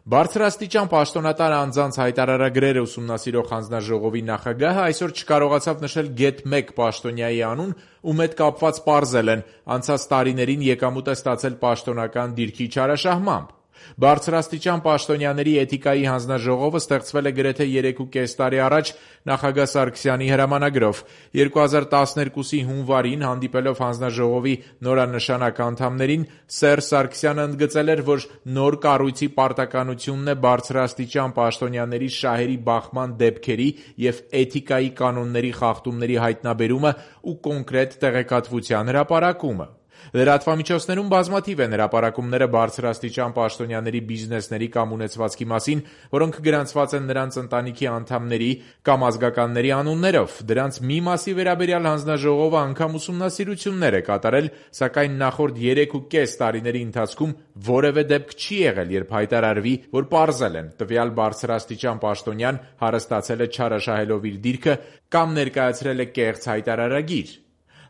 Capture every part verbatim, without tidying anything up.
Բարձրաստիճան պաշտոնատար անձանց հայտարարագրերը ուսումնասիրող հանձնաժողովի նախագահը այսօր չկարողացավ նշել գեթ մեկ պաշտոնյայի անուն, ում հետ կապված պարզել են անցած տարիներին եկամուտ է ստացել պաշտոնական դիրքի չարաշահմամբ։ Բարձրաստիճան պաշտոնյաների էթիկայի հանձնաժողովը ստեղծվել է գրեթե երեքուկես տարի առաջ նախագահ Սարգսյանի հրամանագրով։ երկու հազար տասներկուսի հունվարին հանդիպելով հանձնաժողովի նորանշանակ անդամներին, Սերժ Սարգսյանը ընդգծել էր, որ նոր կառույցի պարտականությունն է բարձրաստիճան պաշտոնյաների շահերի բախման դեպքերի և էթիկայի կանոնների խախտումների հայտնաբերումը ու կոնկրետ տեղեկատվության հրապարակումը։ Լրատվամիջոցներում բազմաթիվ են հրապարակումները բարձրաստիճան պաշտոնյաների բիզնեսների կամ ունեցվածքի մասին, որոնք գրանցված են նրանց ընտանիքի անդամների կամ ազգականների անուններով։ Դրանց մի մասի վերաբերյալ հանձնաժողովը անգամ ուսումնասիրություններ է կատարել, սակայն նախորդ երեքուկես տարիների ընթացքում որևէ դեպք չի եղել, երբ հայտարարվի, որ պարզել են տվյալ բարձրաստիճան պաշտոնյան հարստացել է չարաշահելով իր դիրքը կամ ներկայացրել է կեղծ հայտարարագիր։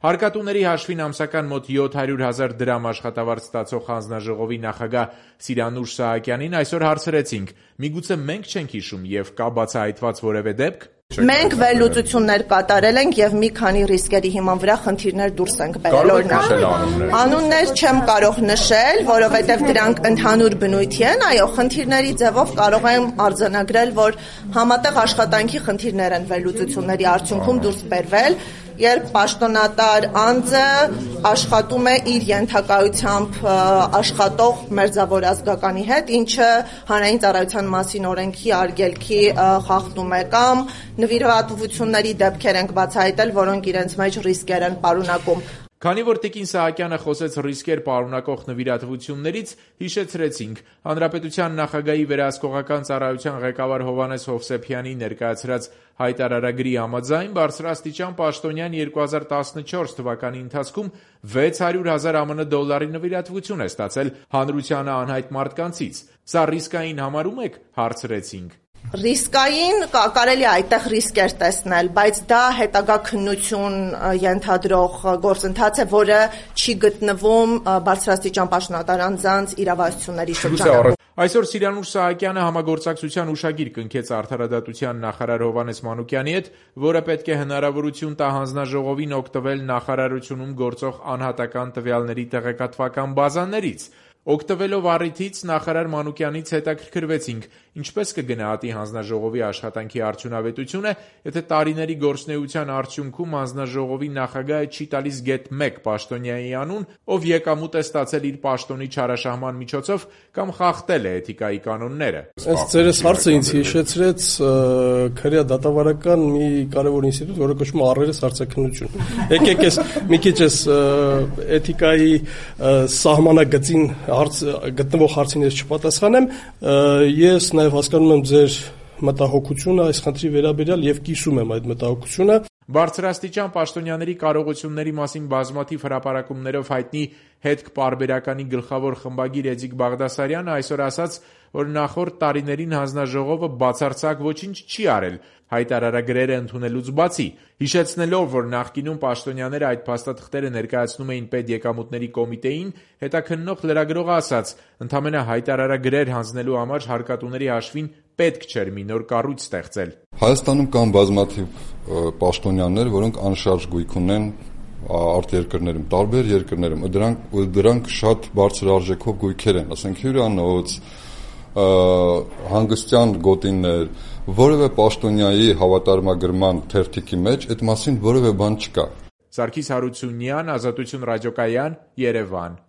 Հարկատուների հաշվին ամսական մոտ յոթ հարյուր հազար դրամ աշխատավարձ ստացող հանձնաժողովի նախագահ Սիրանուշ Սահակյանին այսօր հարցրեցինք՝ միգուցե մենք չենք հիշում և կա բացահայտված որևէ դեպք։ Մենք վերլուծություններ կատարել ենք և մի քանի ռիսկերի հիման վրա խնդիրներ դուրս ենք բերել, օրինակ։ Անուններ չեմ կարող նշել, որովհետև դրանք ընդհանուր բնույթի են, այո, խնդիրների ձևով կարող եմ արձանագրել, որ համատեղ աշխատանքի խնդիրներ են վերլուծությունների արդյունքում դուրս բերվել, երբ պաշտոնատար անձը աշխատում է իր ենթակայությամբ աշխատող մերձավոր ազգականի հետ, ինչը հանրային ծառայության մասին օրենքի արգելքի խախտում է, կամ նվիրատվությունների դեպքեր ենք բացահայտել, որոնք իրենց մեջ ռիսկեր են պարունակում։ Քանի որ տիկին Սահակյանը խոսեց ռիսկեր պարունակող նվիրատվություններից, հիշեցրեցինք Հանրապետության նախագահի վերահսկողական ծառայության ղեկավար Հովհաննես Հովսեփյանի ներկայացրած հայտարարագրի համաձայն բարձրաստիճան պաշտոնյան երկու հազար տասնչորս թվականի ընթացքում վեց հարյուր հազար ԱՄՆ դոլարի նվիրատվություն է ստացել հանրությանը անհայտ մարդկանցից։ Սա ռիսկային համարում եք, հարցրեցինք։ Ռիսկային կարելի է այդտեղ ռիսկեր տեսնել, բայց դա հետագա քննություն ենթադրող գործընթաց է, որը չի գտնվում բարձրաստիճան պաշտոնատար անձանց իրավասությունների շրջանում։ Այսօր Սիրանուշ Սահակյանը համագործակցության ուշագիր կնքեց արդարադատության նախարար Հովհաննես Մանուկյանի հետ, որը պետք է հնարավորություն տա հանձնաժողովին օգտվել նախարարությունում գործող անհատական տվյալների տեղեկատվական բազաներից։ Օգտվելով առիթից նախարար Մանուկյանից հետաքրքրվեցինք, ինչպես կգնահատի հանձնաժողովի աշխատանքի արդյունավետությունը, եթե տարիների գործունեության արդյունքում հանձնաժողովի նախագահը չի տալիս գեթ մեկ պաշտոնյայի անուն, ով եկամուտ է ստացել իր պաշտոնի չարաշահման միջոցով կամ խախտել է էթիկայի կանոնները։ Ըստ ձերս հարցը ինձ հիշեցրեց քրեա դատավարական մի կարևոր ինստիտուտ, որը կոչվում է առերես հարցաքննություն։ Եկեք ես մի քիչ ես էթիկայի սահմանագծին հարց գտնվող հարցին ես չպատասխանեմ, ես նաև հասկանում եմ ձեր մտահոգությունը այս խնդրի վերաբերյալ և կիսում եմ այդ մտահոգությունը։ Բարձրաստիճան պաշտոնյաների կարողությունների մասին բազմաթիվ հրապարակումներով հայտնի հետք պարբերականի գլխավոր խմբագիր Էդիկ Բաղդասարյանը այսօր ասաց, որ նախորդ տարիներին հանձնաժողովը բացարձակ ոչինչ չի արել հայտարարագրերը ընդունելուց բացի, հիշեցնելով, որ նախկինում պաշտոնյաները այդ փաստաթղթերը ներկայացնում էին պետեկամուտների կոմիտեին, հետաքննող լրագրողը ասաց, ընդամենը հայտարարագրեր հանձնելու համար հարկատուների հաշվին պետք չէր մի նոր կառույց ստեղծել։ Հայաստանում կան բազմաթիվ պաշտոնյաներ, որոնք անշարժ գույք ունեն արտերկրներում, տարբեր երկրներում, դրանք դրանք շատ բարձր արժեքով գույքեր են, ասենք հյուրանոց, հանգստյան գոտիներ, որևէ պաշտոնյայի հավատարմագրման թերթիկի մեջ այդ մասին որևէ բան չկա։ Սարգիս Հարությունյան, Ազատություն ռադիոկայան, Երևան։